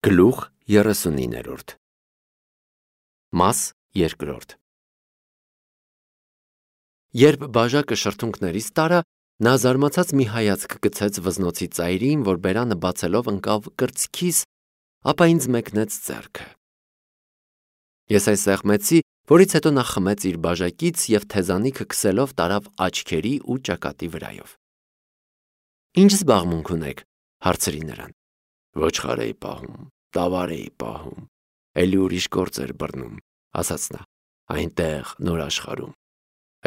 Գլուխ 39 Մաս 2 Երբ բաժակը շրթունքներից տարա, նա զարմացած մի հայացք գցեց վզնոցի ծայրին, որ բերանը բացելով ընկավ կրծքիս, ապա ինձ մեկնեց ձեռքը։ Ես այս սեղմեցի, որից հետո նա խմեց իր բաժակից և թեզանիքը քսելով տարավ աչքերի ու ճակատի վրայով։ Ինչ զբաղմունք ունեք, հարցրի նրան։ Ոչխար էի պահում, տավար էի պահում, էլի ուրիշ գործ էր բռնում, ասաց նա, այնտեղ նոր աշխարհում,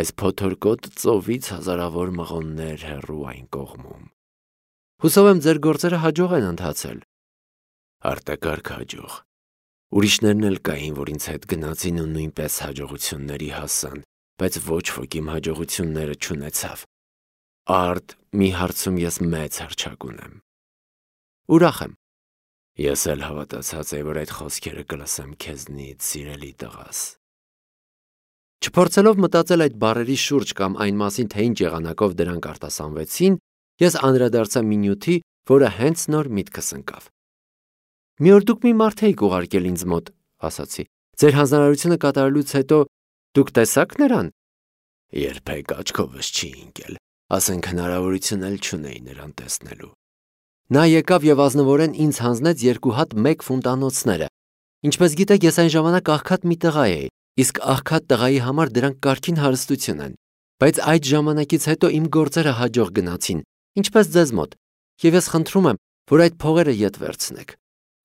այս փոթորկոտ ծովից հազարավոր մղոններ հեռու այն կողմում։ Հուսով եմ ձեր գործերը հաջող են ընթացել։ Արտակարգ հաջող։ Ուրիշներն էլ կային, որ ինձ հետ գնացին ու նույնպես հաջողությունների հասան, բայց ոչ ոք իմ հաջողությունները չունեցավ։ Արդ, մի հարցում ես մեծ հռչակ ունեմ։ Ուրախ եմ։ Ես էլ հավատացած էի, որ այդ խոսքերը կլսեմ քեզնից, սիրելի տղաս։ Չփորձելով մտածել այդ բառերի շուրջ կամ այն մասին, թե ինչ եղանակով դրանք արտասանվեցին, ես անդրադարձա մի նյութի, որը հենց նոր միտքս ընկավ։ Մի օր դուք մի մարդ էիք ուղարկել ինձ մոտ, ասացի։ Ձեր հանձնարարությունը կատարելուց հետո դուք տեսաք նրան։ Երբեք աչքովս չի ընկել, ասենք հնարավորություն էլ չունեի նրան տեսնելու։ Նա եկավ և ազնվորեն ինձ հանձնեց 2 հատ 1 ֆունտանոցները։ Ինչպես գիտեք, ես այն ժամանակ աղքատ մի տղա էի, իսկ աղքատ տղայի համար դրանք կարգին հարստություն են։ Բայց այդ ժամանակից հետո իմ գործերը հաջող գնացին, ինչպես ձեզ մոտ, և ես խնդրում եմ, որ այդ փողերը ետ վերցնեք։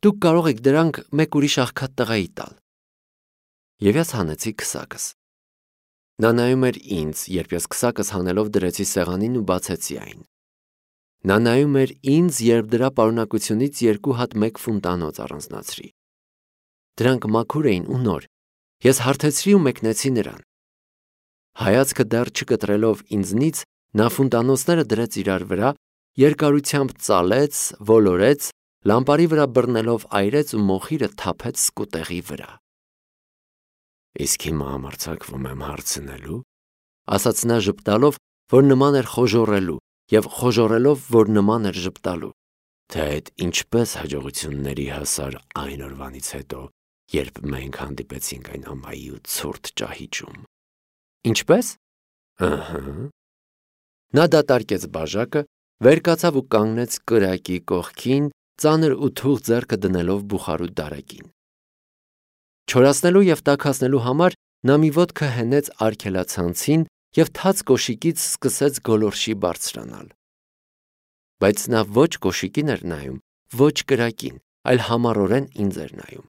Դուք կարող եք դրանք մեկ ուրիշ աղքատ տղայի տալ։ Եվ ես հանեցի քսակս։ Նա նայում էր ինձ, երբ ես քսակս հանելով դրեցի սեղանին ու բացեցի այն։ Նա նայում էր ինձ, երբ դրա պարունակությունից 2 հատ 1 ֆունտանոց առանձնացրի։ Դրանք մաքուր էին ու նոր։ Ես հարթեցրի ու մեկնեցի նրան։ Հայացքը դեռ չկտրելով ինձնից, նա ֆունտանոցները դրեց իրար վրա, երկարությամբ ծալեց, ոլորեց, լամպարի վրա բռնելով այրեց ու մոխիրը թափեց սկուտեղի վրա։ Իսկ հիմա համարձակվում եմ հարցնելու, ասաց նա ժպտալով, որ նման էր խոժոռելու, և խոժոռելով, որ նման էր ժպտալու, թե այդ ինչպես հաջողությունների հասար այն օրվանից հետո, երբ մենք հանդիպեցինք այն ամայի ու ցուրտ ճահիճում։ Ինչպես։ Ըհը։ Նա դատարկեց բաժակը, վեր կացավ ու կանգնեց կրակի կողքին, ծանր ու թուղթ ձեռքը դնելով բուխարու դարակին։ Չորացնելու և տաքացնելու համար նա մի ոտքը հենեց արգելացանցին և թաց կոշիկից սկսեց գոլորշի բարձրանալ։ Բայց նա ոչ կոշիկին էր նայում, ոչ կրակին, այլ համառորեն ինձ էր նայում։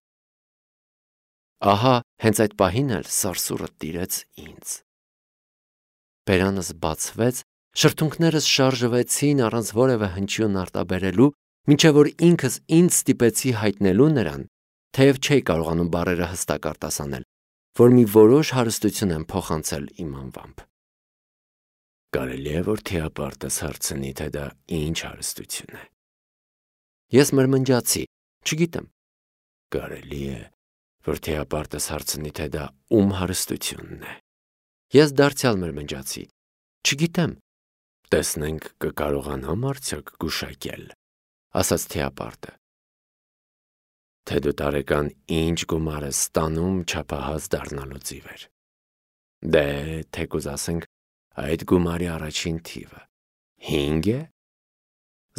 Ահա հենց այդ պահին էլ սարսուռը տիրեց ինձ։ Բերանս բացվեց, շրթունքներս շարժվեցին առանց որևէ հնչյուն արտաբերելու, մինչև որ ինքս ինձ ստիպեցի հայտնելու նրան, թեև չէի կարողանում բառերը հստակ արտասանել, որ մի որոշ հարստություն եմ փոխանցել իմ անվամբ։ Կարելի է, որ թիապարտս հարցնի, թե դա ինչ հարստություն է։ Ես մրմնջացի, չգիտեմ։ Կարելի է, որ թիապարտս հարցնի, թե դա ում հարստությունն է։ Ես դարձյալ մրմնջացի, չգիտեմ։ Տեսնենք կկարողանամ արդյոք գուշակել, ասաց թիապարտը։ Թե դու տարեկան ինչ գումար ես ստանում չափահաս դառնալուց ի վեր։ Դե, թեկուզ ասենք, այդ գումարի առաջին թիվը 5 է։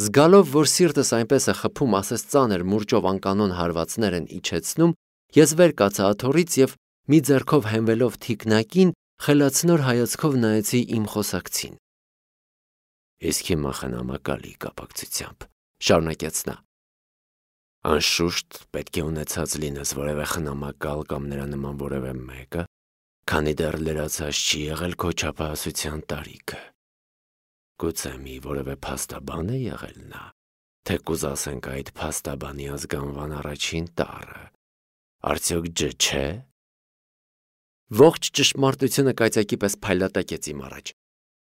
Զգալով, որ սիրտս այնպես է խփում, ասես ծանր մուրճով անկանոն հարվածներ են իջեցնում, ես վեր կացա աթոռից և մի ձեռքով հենվելով թիկնակին, խելացնոր հայացքով նայեցի իմ խոսակցին։ Իսկ հիմա խնամակալի կապակցությամբ, շարունակեց նա։ Անշուշտ պետք է ունեցած լինես որևէ խնամակալ կամ նրա նման որևէ մեկը, քանի դեռ լրացած չի եղել քո չափահասության տարիքը։ Գուցե մի որևէ փաստաբան է եղել նա, թեկուզ ասենք այդ փաստաբանի ազգանվան առաջին տառը, արդյոք չէ։ Ողջ ճշմարտությունը կայծակի պես փայլատակեց իմ առաջ։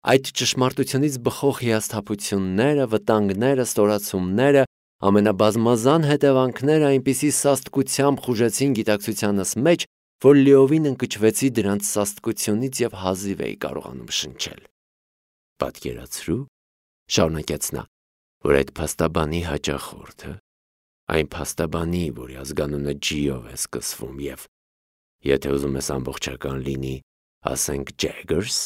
Այդ ճշմարտությունից բխող հիասթափությունները, վտանգները, ստորացումները, ամենաբազմազան հետևանքները այնպիսի սաստկությամբ խուժեցին գիտակցությանս մեջ, որ լիովին ընկճվեցի դրանց սաստկությունից և հազիվ էի կարողանում շնչել։ Պատկերացրու, շարունակեց նա, որ այդ փաստաբանի հաճախորդը Այն փաստաբանի, որի ազգանունը G-ով է սկսվում և եթե ուզում ես ամբողջական լինի, ասենք Jaggers,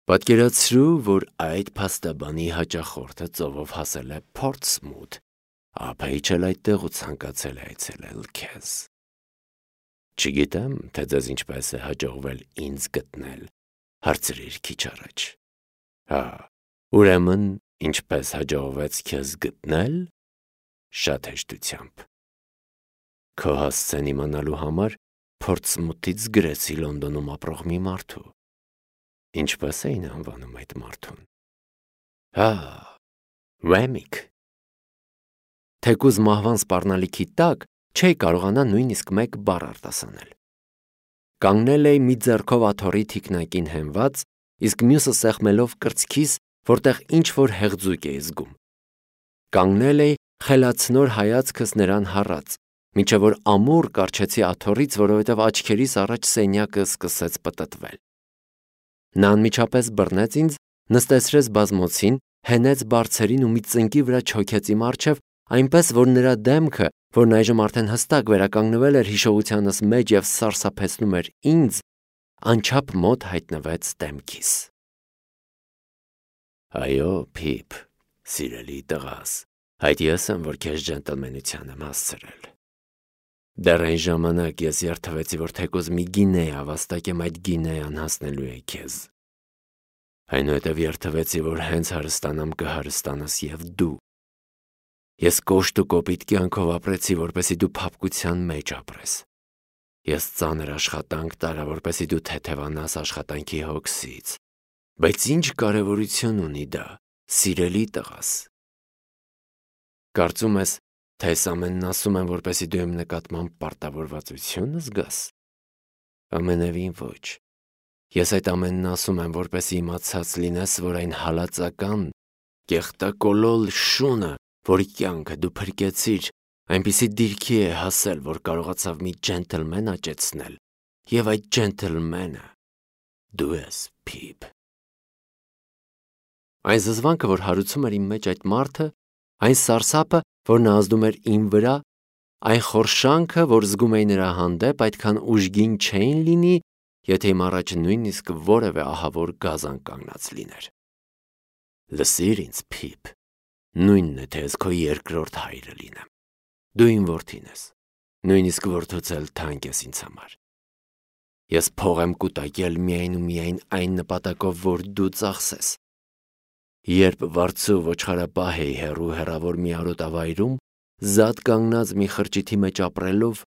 պատկերացրու, որ այդ փաստաբանի հաճախորդը ծովով հասել է Portsmouth, ապա իջել այդտեղ ու ցանկացել է այցելել քեզ։ Չգիտեմ, թե ձեզ ինչպես է հաջողվել ինձ գտնել, հարցրիր քիչ առաջ։ Ուրեմն, ինչպես հաջողվեց քեզ գտնել, շատ հեշտությամբ։ Քո հասցեն իմանալու համար Portsmouth-ից գրեցի Լոնդոնում ապրող մի մարդու։ Ինչպես էին անվանում այդ մարդուն։ Wemmick։ Թեկուզ մահվան սպառնալիքի տակ չէի կարողանա նույնիսկ մեկ բառ արտասանել։ Կանգնել էի մի ձեռքով աթոռի թիկնակին հենված, իսկ մյուսը սեղմելով կրծքիս, որտեղ ինչ-որ հեղձուկ էի զգում։ Կանգնել էի, խելացնոր հայացքս նրան հառած, մինչև որ ամուր կառչեցի աթոռից, որովհետև աչքերիս առաջ սենյակը սկսեց պտտվել։ Նա անմիջապես բռնեց ինձ, նստեցրեց բազմոցին, հենեց բարձերին ու մի ծնկի վրա չոքեց իմ առջև, այնպես որ նրա դեմքը, որն այժմ արդեն հստակ վերականգնվել էր հիշողությանս մեջ և սարսափեցնում էր ինձ, անչափ մոտ հայտնվեց դեմքիս։ Այո, Փիփ, սիրելի տղաս, այդ ես եմ, որ քեզ ջենտլմենության եմ հասցրել։ Դեռ այն ժամանակ ես երդվեցի, որ թեկուզ մի գինեա վաստակեմ այդ գինեան հասնելու է քեզ։ Այնուհետև երդվեցի, որ հենց հարստանամ կհարստանաս և դու։ Ես կոշտ ու կոպիտ կյանքով ապրեցի, որպեսզի դու փափկության մեջ ապրես։ Ես ծանր աշխատանք տարա, որպեսզի դու թեթևանաս աշխատանքի հոգսից։ Բայց ինչ կարևորություն ունի դա, սիրելի տղաս։ Կարծում ես, թե այս ամենն ասում եմ, որպեսզի դու իմ նկատմամբ պարտավորվածություն զգաս։ Ամենևին ոչ։ Ես այդ ամենն ասում եմ, որպեսզի իմացած լինես, որ այն հալածական, կեղտակոլոլ շունը, որի կյանքը դու փրկեցիր, այնպիսի դիրքի է հասել, որ կարողացավ մի ջենտլմեն աճեցնել, և այդ ջենտլմենը դու ես, Փիփ։ Այն զզվանքը, որ հարուցում էր իմ մեջ այդ մարդը, այն սարսափը, որ նա ազդում էր իմ վրա, այն խորշանքը, որ զգում էի նրա հանդեպ, այդքան ուժգին չէին լինի, եթե իմ առաջ նույնիսկ որևէ ահավոր գազան կանգնած լիներ։ Լսիր ինձ, Փիփ, նույնն է, թե ես քո երկրորդ հայրը լինեմ։ Դու իմ որդին ես, նույնիսկ որդուց էլ թանկ ես ինձ համար։ Ես փող եմ կուտակել միայն ու միայն այն նպատակով, որ դու ծախսես։ Երբ վարձու ոչխարապահ էի հեռավոր մի արոտավայրում, զատ կանգնած մի խրճիթի մեջ ապրելով,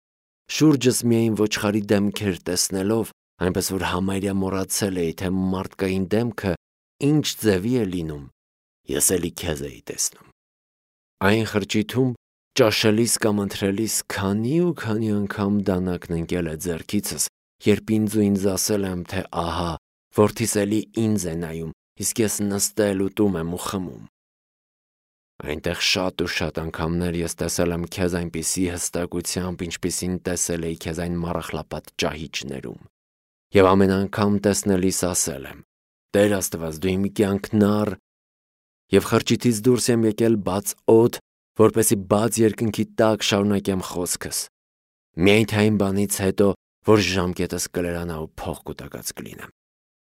շուրջս միայն ոչխարի դեմքեր տեսնելով, այնպես որ համարյա մոռացել էի, թե մարդկային դեմքը ինչ ձևի է լինում, ես էլի քեզ էի տեսնում։ Այն խրճիթում ճաշելիս կամ ընթրելիս քանի ու քանի անգամ դանակն ընկել է ձեռքիցս, երբ ինձ ասել եմ, թե ահա, որդիս էլի ինձ է նայում, իսկ ես նստել ուտում եմ ու խմում։ Այնտեղ շատ ու շատ անգամներ ես տեսել եմ քեզ այնպիսի հստակությամբ, ինչպիսին տեսել էի քեզ այն մառախլապատ ճահիճներում։ Եվ ամեն անգամ տեսնելիս ասել եմ. Տեր Աստված, դու իմ կյանքն առ, և խրճիթից դուրս եմ եկել բաց օդ, որպեսզի բաց երկնքի տակ շարունակեմ խոսքս։ Միայն թե այն բանից հետո, որ ժամկետս կլրանա ու փող կուտակած կլինեմ։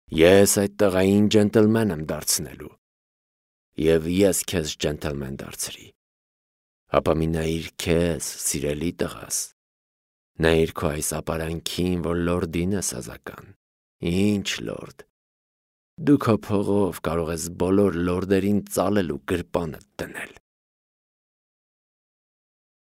Ես այդ տղային ջենտլմեն եմ դարձնելու։ Եվ ես քեզ ջենտլմեն դարձրի։ Ապա մի նայիր քեզ, սիրելի տղաս։ Նայիր քո այս ապարանքին, որ լորդին ես ազական։ Ինչ լորդ։ Դու քո փողով կարող ես բոլոր լորդերին ծալել ու գրպանդ դնել։